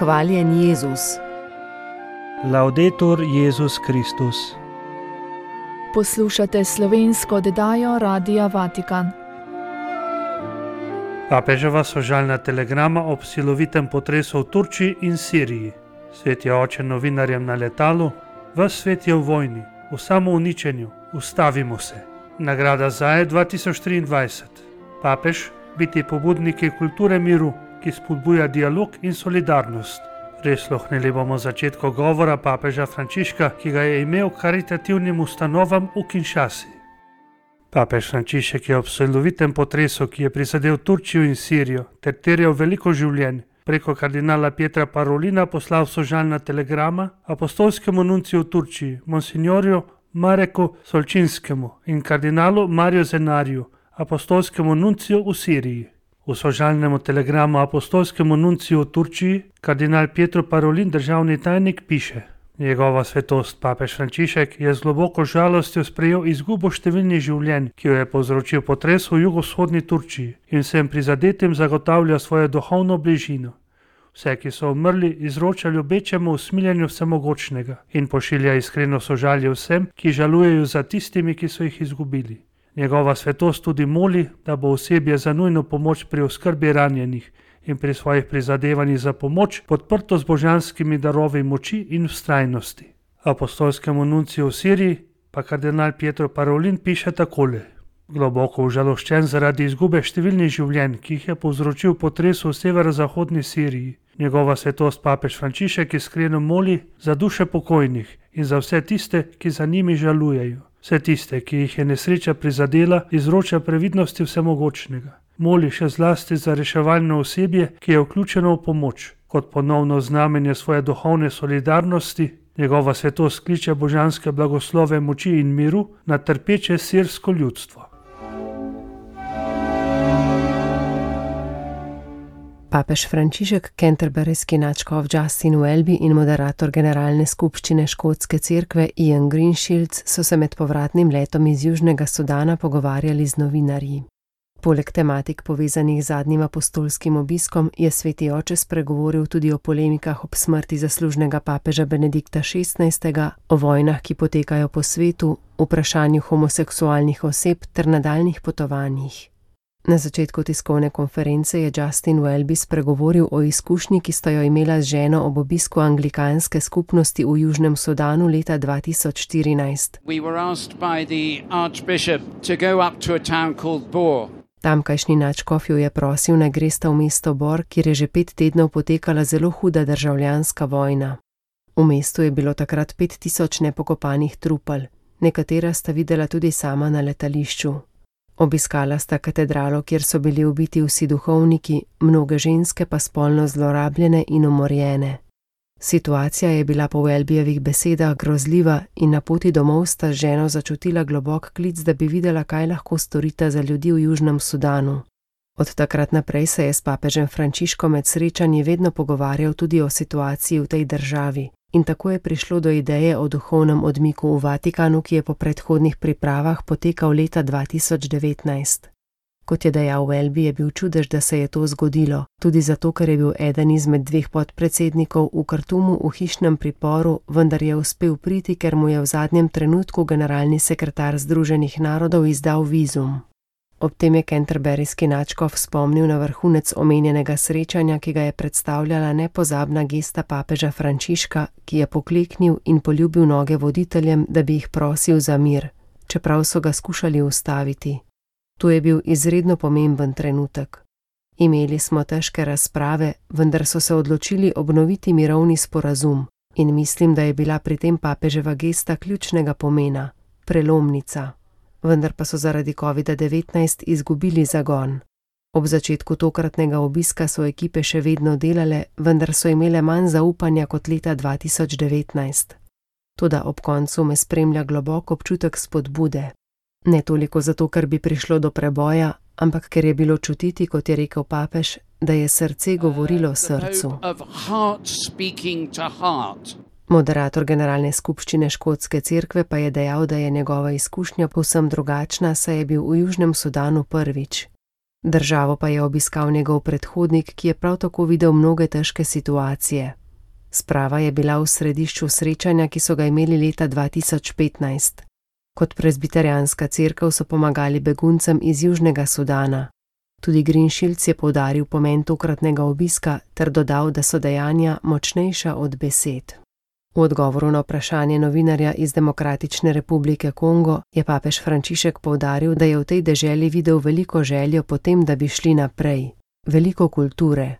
Hvaljen Jezus. Laudetur Jezus Kristus. Poslušate slovensko oddajo Radia Vatikan. Papeževa sožalna telegrama ob silovitem potresu v Turčiji in Siriji. Svet je oče novinarjem na letalu, ves svet je v vojni, v samouničenju, ustavimo se. Nagrada Zaje 2023. Papež, biti pobudniki kulture miru, ki spodbuja dialog in solidarnost. Prisluhnili bomo začetku govora papeža Frančiška, ki ga je imel karitativnim ustanovam v Kinshasi. Papež Frančišek je ob silovitem potresu, ki je prizadel Turčijo in Sirijo, ter terjal veliko življenj, preko kardinala Pietra Parolina poslal sožalna telegrama apostolskemu nunciju v Turčiji, monsignorju Mareku Solčinskemu in kardinalu Mariju Zenariju, apostolskemu nunciju v Siriji. V sožalnemu telegramu apostolskemu nunciju v Turčiji kardinal Pietro Parolin, državni tajnik, piše: Njegova svetost papež Frančišek je z globoko žalostjo sprejel izgubo številnih življenj, ki jo je povzročil potres v jugovzhodni Turčiji, in vsem prizadetim zagotavlja svojo duhovno bližino. Vse, ki so umrli, izroča ljubečemu usmiljenju vsemogočnega in pošilja iskreno sožalje vsem, ki žalujejo za tistimi, ki so jih izgubili. Njegova svetost tudi moli, da bo osebje za nujno pomoč pri oskrbi ranjenih in pri svojih prizadevanjih za pomoč podprto z božanskimi darovi moči in vztrajnosti. Apostolskemu nunciju v Siriji pa kardinal Pietro Parolin piše takole: Globoko užaloščen zaradi izgube številnih življenj, ki jih je povzročil potres v severozahodni Siriji, njegova svetost papež Frančišek iskreno moli za duše pokojnih in za vse tiste, ki za njimi žalujejo. Vse tiste, ki jih je nesreča prizadela, izroča previdnosti vsemogočnega. Moli še zlasti za reševalno osebje, ki je vključeno v pomoč. Kot ponovno znamenje svoje duhovne solidarnosti, njegova svetost kliče božanske blagoslove moči in miru na trpeče sirsko ljudstvo. Papež Frančišek, canterburyski nadškof Justin Welby in moderator generalne skupščine škotske cerkve Ian Greenshields so se med povratnim letom iz Južnega Sudana pogovarjali z novinarji. Poleg tematik povezanih z zadnjim apostolskim obiskom je sveti oče spregovoril tudi o polemikah ob smrti zaslužnega papeža Benedikta XVI., o vojnah, ki potekajo po svetu, vprašanju homoseksualnih oseb ter nadaljnih potovanjih. Na začetku tiskovne konference je Justin Welby spregovoril o izkušnji, ki sta jo imela z ženo ob obisku anglikanske skupnosti v Južnem Sudanu leta 2014. Tamkajšnji nadškof jo je prosil, naj gresta v mesto Bor, kjer je že 5 tednov potekala zelo huda državljanska vojna. V mestu je bilo takrat 5000 nepokopanih trupel, nekatera sta videla tudi sama na letališču. Obiskala sta katedralo, kjer so bili ubiti vsi duhovniki, mnoge ženske pa spolno zlorabljene in umorjene. Situacija je bila po Welbyjevih besedah grozljiva in na poti domov sta z ženo začutila globok klic, da bi videla, kaj lahko storita za ljudi v Južnem Sudanu. Od takrat naprej se je s papežem Frančiškom med srečanji vedno pogovarjal tudi o situaciji v tej državi. In tako je prišlo do ideje o duhovnem odmiku v Vatikanu, ki je po predhodnih pripravah potekal leta 2019. Kot je dejal Welby, je bil čudež, da se je to zgodilo, tudi zato, ker je bil eden izmed 2 podpredsednikov v Kartumu v hišnem priporu, vendar je uspel priti, ker mu je v zadnjem trenutku generalni sekretar Združenih narodov izdal vizum. Ob tem je canterburyski nadškof spomnil na vrhunec omenjenega srečanja, ki ga je predstavljala nepozabna gesta papeža Frančiška, ki je pokleknil in poljubil noge voditeljem, da bi jih prosil za mir, čeprav so ga skušali ustaviti. To je bil izredno pomemben trenutek. Imeli smo težke razprave, vendar so se odločili obnoviti mirovni sporazum in mislim, da je bila pri tem papeževa gesta ključnega pomena, prelomnica. Vendar pa so zaradi COVID-19 izgubili zagon. Ob začetku tokratnega obiska so ekipe še vedno delale, vendar so imele manj zaupanja kot leta 2019. Toda ob koncu me spremlja globok občutek spodbude. Ne toliko zato, ker bi prišlo do preboja, ampak ker je bilo čutiti, kot je rekel papež, da je srce govorilo srcu. Moderator generalne skupščine škotske cerkve pa je dejal, da je njegova izkušnja povsem drugačna, saj je bil v Južnem Sudanu prvič. Državo pa je obiskal njegov predhodnik, ki je prav tako videl mnoge težke situacije. Sprava je bila v središču srečanja, ki so ga imeli leta 2015. Kot prezbiterijanska cerkev so pomagali beguncem iz Južnega Sudana. Tudi Green Shields je poudaril pomen tokratnega obiska ter dodal, da so dejanja močnejša od besed. V odgovoru na vprašanje novinarja iz Demokratične republike Kongo je papež Frančišek poudaril, da je v tej deželi videl veliko željo po tem, da bi šli naprej, veliko kulture.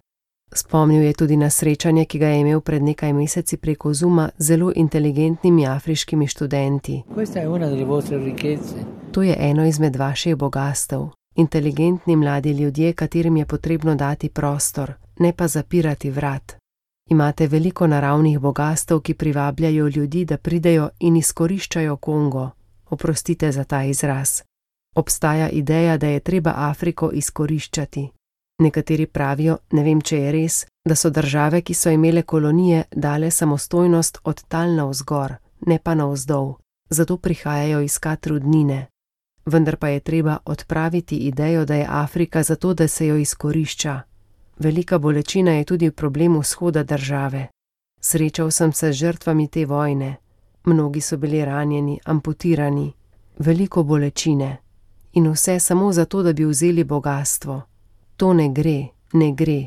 Spomnil je tudi na srečanje, ki ga je imel pred nekaj meseci preko Zooma z zelo inteligentnimi afriškimi študenti. To je eno izmed vaših bogastev. Inteligentni mladi ljudje, katerim je potrebno dati prostor, ne pa zapirati vrat. Imate veliko naravnih bogastev, ki privabljajo ljudi, da pridejo in izkoriščajo Kongo. Oprostite za ta izraz. Obstaja ideja, da je treba Afriko izkoriščati. Nekateri pravijo, ne vem, če je res, da so države, ki so imele kolonije, dale samostojnost od tal navzgor, ne pa navzdol. Zato prihajajo iskat rudnine. Vendar pa je treba odpraviti idejo, da je Afrika zato, da se jo izkorišča. Velika bolečina je tudi problem vzhoda države. Srečal sem se z žrtvami te vojne. Mnogi so bili ranjeni, amputirani. Veliko bolečine. In vse samo zato, da bi vzeli bogastvo. To ne gre, ne gre.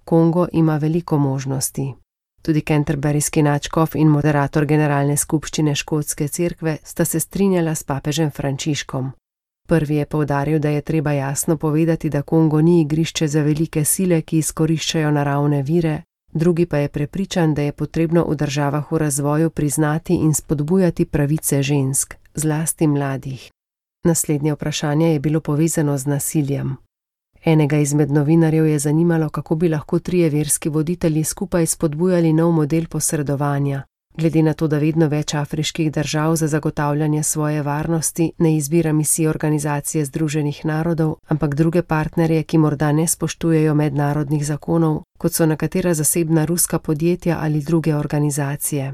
Kongo ima veliko možnosti. Tudi canterburyski nadškof in moderator generalne skupščine škotske cerkve sta se strinjala s papežem Frančiškom. Prvi je poudaril, da je treba jasno povedati, da Kongo ni igrišče za velike sile, ki izkoriščajo naravne vire, drugi pa je prepričan, da je potrebno v državah v razvoju priznati in spodbujati pravice žensk, zlasti mladih. Naslednje vprašanje je bilo povezano z nasiljem. Enega izmed novinarjev je zanimalo, kako bi lahko trije verski voditelji skupaj spodbujali nov model posredovanja. Glede na to, da vedno več afriških držav za zagotavljanje svoje varnosti ne izbira misij Organizacije združenih narodov, ampak druge partnerje, ki morda ne spoštujejo mednarodnih zakonov, kot so nekatera zasebna ruska podjetja ali druge organizacije.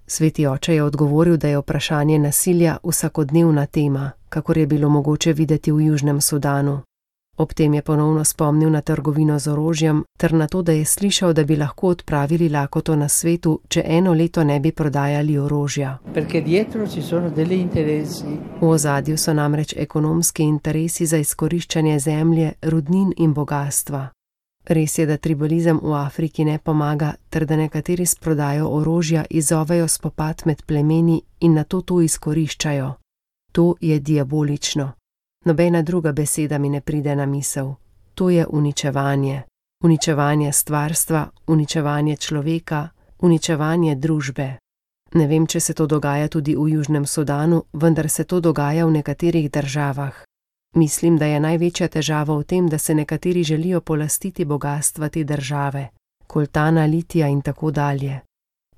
Sveti oče je odgovoril, da je vprašanje nasilja vsakodnevna tema, kakor je bilo mogoče videti v Južnem Sudanu. Ob tem je ponovno spomnil na trgovino z orožjem ter na to, da je slišal, da bi lahko odpravili lakoto na svetu, če eno leto ne bi prodajali orožja. V ozadju so namreč ekonomski interesi za izkoriščanje zemlje, rudnin in bogastva. Res je, da tribalizem v Afriki ne pomaga, ter da nekateri s prodajo orožja izzovejo spopad med plemeni in nato to izkoriščajo. To je diabolično. Nobena druga beseda mi ne pride na misel. To je uničevanje. Uničevanje stvarstva, uničevanje človeka, uničevanje družbe. Ne vem, če se to dogaja tudi v Južnem Sudanu, vendar se to dogaja v nekaterih državah. Mislim, da je največja težava v tem, da se nekateri želijo polastiti bogastva te države, koltana, litija in tako dalje.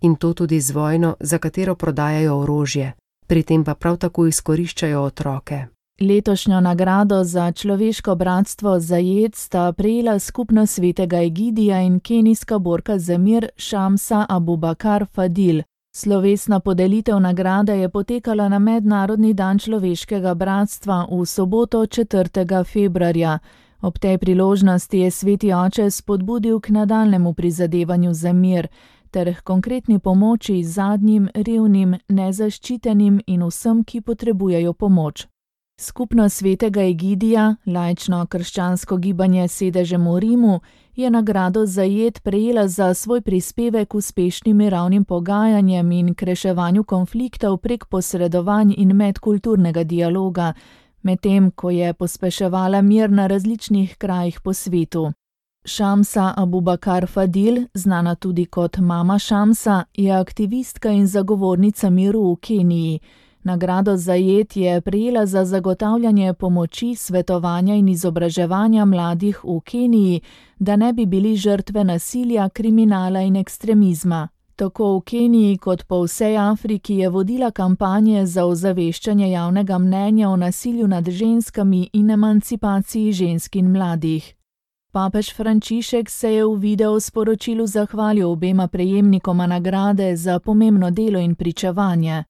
In to tudi z vojno, za katero prodajajo orožje, pri tem pa prav tako izkoriščajo otroke. Letošnjo nagrado za človeško bratstvo Zajed sta prejela skupnost svetega Egidija in kenijska borka za mir Shamsa Abubakar Fadil. Slovesna podelitev nagrade je potekala na Mednarodni dan človeškega bratstva v soboto 4. februarja. Ob tej priložnosti je sveti oče spodbudil k nadaljnemu prizadevanju za mir ter h konkretni pomoči zadnjim, revnim, nezaščitenim in vsem, ki potrebujejo pomoč. Skupnost svetega Egidija, laično krščansko gibanje s sedežem v Rimu, je nagrado Zajed prejela za svoj prispevek k uspešnim mirovnim pogajanjem in k reševanju konfliktov prek posredovanj in medkulturnega dialoga, medtem ko je pospeševala mir na različnih krajih po svetu. Shamsa Abubakar Fadil, znana tudi kot mama Shamsa, je aktivistka in zagovornica miru v Keniji. Nagrado Zajed je prejela za zagotavljanje pomoči, svetovanja in izobraževanja mladih v Keniji, da ne bi bili žrtve nasilja, kriminala in ekstremizma. Tako v Keniji kot po vsej Afriki je vodila kampanje za ozaveščanje javnega mnenja o nasilju nad ženskami in emancipaciji žensk in mladih. Papež Frančišek se je v video sporočilu zahvalil obema prejemnikoma nagrade za pomembno delo in pričevanje.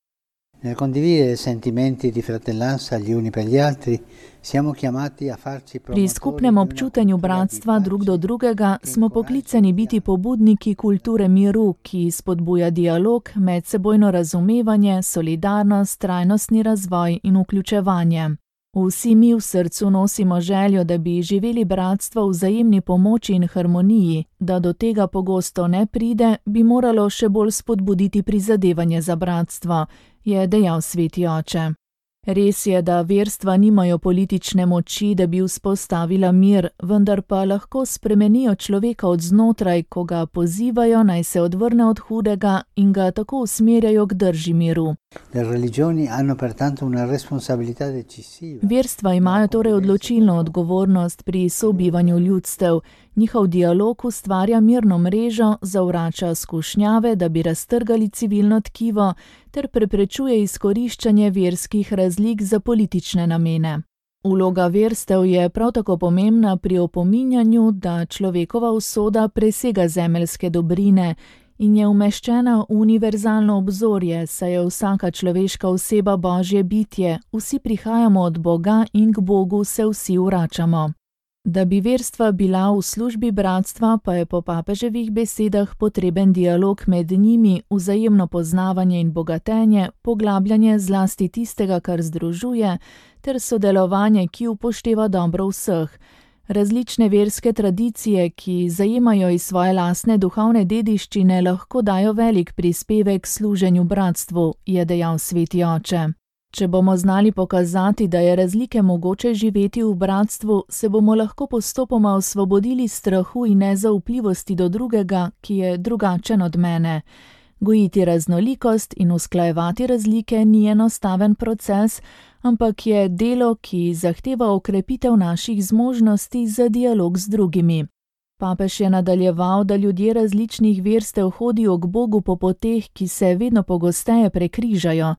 Nel condividere sentimenti di fratellanza gli uni per gli altri, siamo chiamati a farci Pri skupnem občutenju bratstva drug do drugega smo poklicani biti pobudniki kulture miru, ki spodbuja dialog, medsebojno razumevanje, solidarnost, trajnostni razvoj in vključevanje. Vsi mi v srcu nosimo željo, da bi živeli bratstvo v vzajemni pomoči in harmoniji, da do tega pogosto ne pride, bi moralo še bolj spodbuditi prizadevanje za bratstvo, je dejal sveti oče. Res je, da verstva nimajo politične moči, da bi vzpostavila mir, vendar pa lahko spremenijo človeka od znotraj, ko ga pozivajo, naj se odvrne od hudega in ga tako usmerjajo k drži miru. Verstva imajo torej odločilno odgovornost pri sobivanju ljudstev. Njihov dialog ustvarja mirno mrežo, zavrača skušnjave, da bi raztrgali civilno tkivo, ter preprečuje izkoriščanje verskih razlik za politične namene. Vloga verstev je prav tako pomembna pri opominjanju, da človekova usoda presega zemeljske dobrine in je umeščena v univerzalno obzorje, saj je vsaka človeška oseba Božje bitje, vsi prihajamo od Boga in k Bogu se vsi vračamo. Da bi verstva bila v službi bratstva, pa je po papeževih besedah potreben dialog med njimi, vzajemno poznavanje in bogatenje, poglabljanje zlasti tistega, kar združuje, ter sodelovanje, ki upošteva dobro vseh. Različne verske tradicije, ki zajemajo iz svoje lastne duhovne dediščine, lahko dajo velik prispevek služenju bratstvu, je dejal sveti oče. Če bomo znali pokazati, da je razlike mogoče živeti v bratstvu, se bomo lahko postopoma osvobodili strahu in nezaupljivosti do drugega, ki je drugačen od mene. Gojiti raznolikost in usklajevati razlike ni enostaven proces, ampak je delo, ki zahteva okrepitev naših zmožnosti za dialog z drugimi. Papež je nadaljeval, da ljudje različnih verstev hodijo k Bogu po poteh, ki se vedno pogosteje prekrižajo.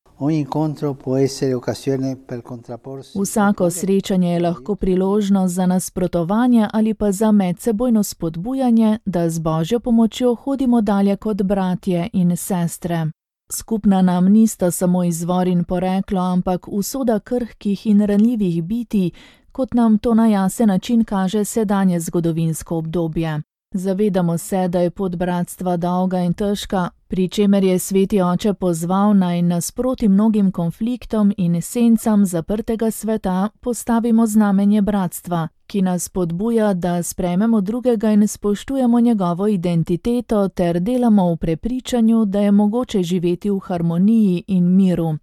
Vsako srečanje je lahko priložnost za nasprotovanje ali pa za medsebojno spodbujanje, da z Božjo pomočjo hodimo dalje kot bratje in sestre. Skupna nam nista samo izvor in poreklo, ampak usoda krhkih in ranljivih bitij, kot nam to na jasen način kaže sedanje zgodovinsko obdobje. Zavedamo se, da je pot bratstva dolga in težka, pri čemer je sveti oče pozval naj nasproti mnogim konfliktom in sencam zaprtega sveta postavimo znamenje bratstva, ki nas spodbuja, da sprejmemo drugega in spoštujemo njegovo identiteto ter delamo v prepričanju, da je mogoče živeti v harmoniji in miru.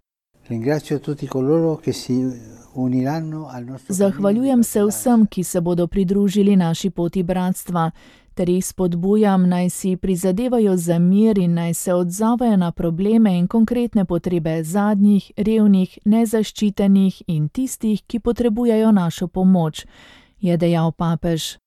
Zahvaljujem se vsem, ki se bodo pridružili naši poti bratstva, ter jih spodbujam, naj si prizadevajo za mir in naj se odzovejo na probleme in konkretne potrebe zadnjih, revnih, nezaščitenih in tistih, ki potrebujejo našo pomoč, je dejal papež.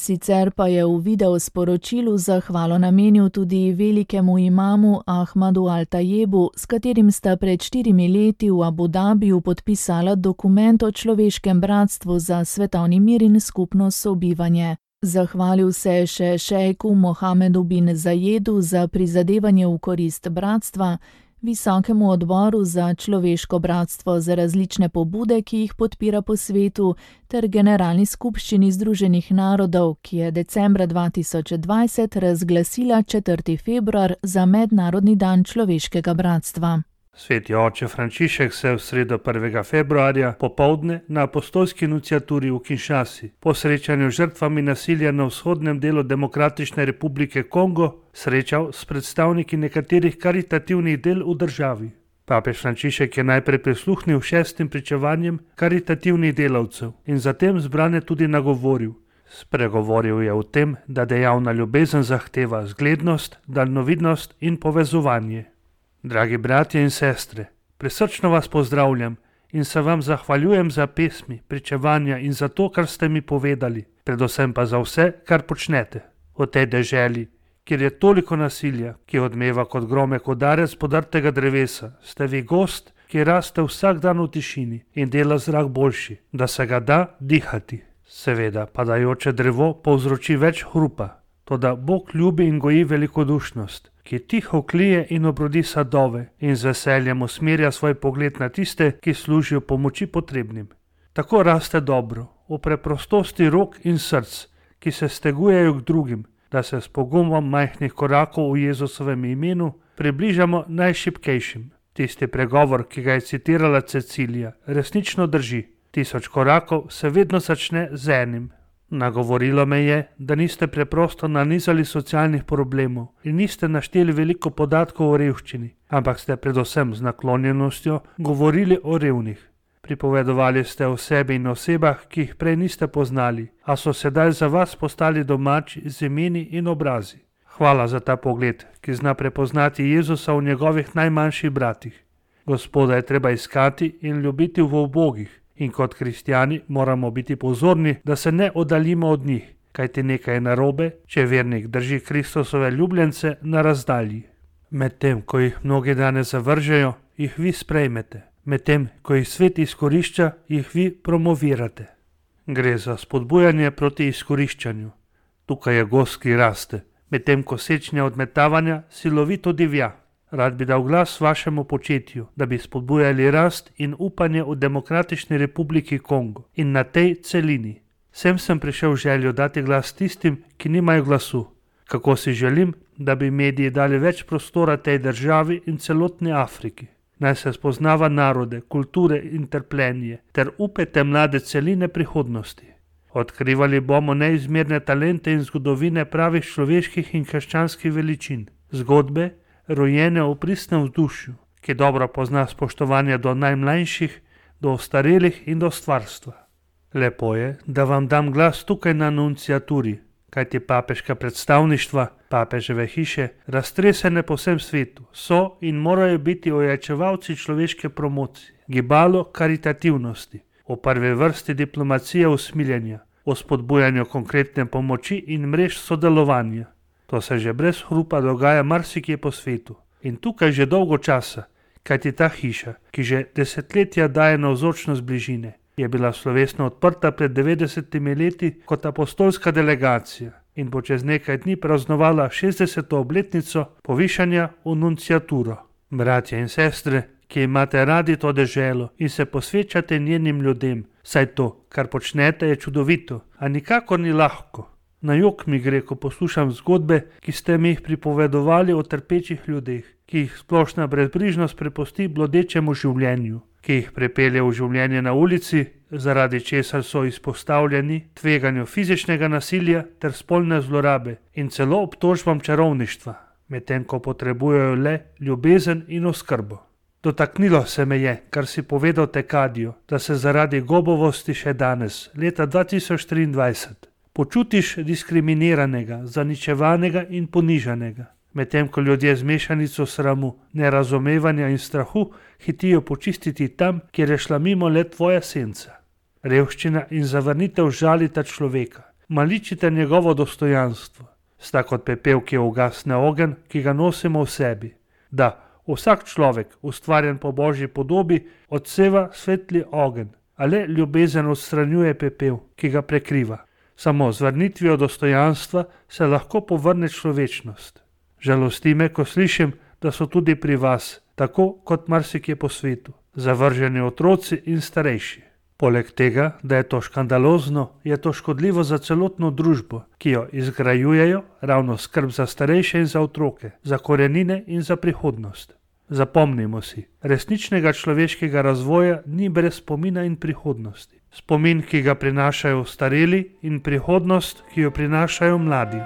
Sicer pa je v video sporočilu zahvalo namenil tudi velikemu imamu Ahmadu Al-Tajebu, s katerim sta pred 4 leti v Abu Dabiju podpisala dokument o človeškem bratstvu za svetovni mir in skupno sobivanje. Zahvalil se je še šejku Mohamedu bin Zajedu za prizadevanje v korist bratstva, Visokemu odboru za človeško bratstvo za različne pobude, ki jih podpira po svetu, ter Generalni skupščini Združenih narodov, ki je decembra 2020 razglasila 4. februar za Mednarodni dan človeškega bratstva. Sveti oče Frančišek se v sredo 1. februarja popoldne na apostolski nunciaturi v Kinshasi po srečanju žrtvami nasilja na vzhodnem delu Demokratične republike Kongo srečal s predstavniki nekaterih karitativnih del v državi. Papež Frančišek je najprej prisluhnil 6 pričevanjem karitativnih delavcev in zatem zbrane tudi nagovoril. Spregovoril je o tem, da dejavna ljubezen zahteva zglednost, daljnovidnost in povezovanje. Dragi bratje in sestre, prisrčno vas pozdravljam in se vam zahvaljujem za pesmi, pričevanja in za to, kar ste mi povedali, predvsem pa za vse, kar počnete. V tej deželi, kjer je toliko nasilja, ki odmeva kot gromek udarec podrtega drevesa, ste vi gost, ki raste vsak dan v tišini in dela zrak boljši, da se ga da dihati. Seveda, padajoče drevo povzroči več hrupa, toda Bog ljubi in goji velikodušnost, ki tiho klije in obrodi sadove in z veseljem usmerja svoj pogled na tiste, ki služijo pomoči potrebnim. Tako raste dobro, v preprostosti rok in src, ki se stegujejo k drugim, da se s pogumom majhnih korakov v Jezusovem imenu približamo najšibkejšim. Tisti pregovor, ki ga je citirala Cecilija, resnično drži. 1000 korakov se vedno začne z enim. Nagovorilo me je, da niste preprosto nanizali socialnih problemov in niste našteli veliko podatkov o revščini, ampak ste predvsem z naklonjenostjo govorili o revnih. Pripovedovali ste o sebi in osebah, ki jih prej niste poznali, a so sedaj za vas postali domači z imeni in obrazi. Hvala za ta pogled, ki zna prepoznati Jezusa v njegovih najmanjših bratih. Gospoda je treba iskati in ljubiti v ubogih. In kot kristjani moramo biti pozorni, da se ne oddaljimo od njih, kajti nekaj je narobe, če vernik drži Kristusove ljubljence na razdalji. Medtem, ko jih mnogi danes zavržejo, jih vi sprejmete. Medtem, ko jih svet izkorišča, jih vi promovirate. Gre za spodbujanje proti izkoriščanju. Tukaj je gozd, ki raste, medtem ko sečnja odmetavanja silovito divja. Rad bi dal glas vašemu početju, da bi spodbujali rast in upanje v Demokratični republiki Kongo in na tej celini. Sem prišel željo dati glas tistim, ki nimajo glasu. Kako si želim, da bi mediji dali več prostora tej državi in celotni Afriki. Naj se spoznava narode, kulture in trpljenje ter upete mlade celine prihodnosti. Odkrivali bomo neizmerne talente in zgodovine pravih človeških in krščanskih veličin. Zgodbe, rojene v pristnem vzdušju, ki dobro pozna spoštovanje do najmlajših, do ostarelih in do stvarstva. Lepo je, da vam dam glas tukaj na nunciaturi, kajti papeška predstavništva, papeževe hiše, raztresene po vsem svetu, so in morajo biti ojačevalci človeške promocije, gibalo karitativnosti, v prvi vrsti diplomacije usmiljenja, o spodbujanju konkretne pomoči in mrež sodelovanja. To se že brez hrupa dogaja marsikje po svetu in tukaj že dolgo časa, kajti ta hiša, ki že desetletja daje navzočnost bližine, je bila slovesno odprta pred 90 leti kot apostolska delegacija in bo čez nekaj dni praznovala 60. obletnico povišanja v nunciaturo. Bratje in sestre, ki imate radi to deželo in se posvečate njenim ljudem, saj to, kar počnete, je čudovito, a nikakor ni lahko. Na jok mi gre, ko poslušam zgodbe, ki ste mi jih pripovedovali o trpečih ljudeh, ki jih splošna brezbrižnost prepusti blodečemu življenju, ki jih prepelje v življenje na ulici, zaradi česar so izpostavljeni tveganju fizičnega nasilja ter spolne zlorabe in celo obtožbam čarovništva, medtem ko potrebujejo le ljubezen in oskrbo. Dotaknilo se me je, kar si povedal Tekadijo, da se zaradi gobovosti še danes, leta 2023, počutiš diskriminiranega, zaničevanega in ponižanega, medtem ko ljudje z mešanico sramu, nerazumevanja in strahu hitijo počistiti tam, kjer je šla mimo le tvoja senca. Revščina in zavrnitev žalita človeka, maličite njegovo dostojanstvo, sta kot pepel, ki ugasne ogenj, ki ga nosimo v sebi. Da, vsak človek, ustvarjen po Božji podobi, odseva svetli ogenj, a le ljubezen odstranjuje pepel, ki ga prekriva. Samo z vrnitvijo dostojanstva se lahko povrne človečnost. Žalosti me, ko slišim, da so tudi pri vas, tako kot marsikje po svetu, zavrženi otroci in starejši. Poleg tega, da je to škandalozno, je to škodljivo za celotno družbo, ki jo izgrajujejo ravno skrb za starejše in za otroke, za korenine in za prihodnost. Zapomnimo si, resničnega človeškega razvoja ni brez spomina in prihodnosti. Spomin, ki ga prinašajo stareli, in prihodnost, ki jo prinašajo mladi.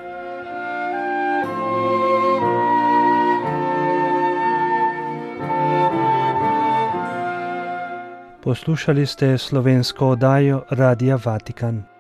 Poslušali ste slovensko oddajo Radia Vatikan.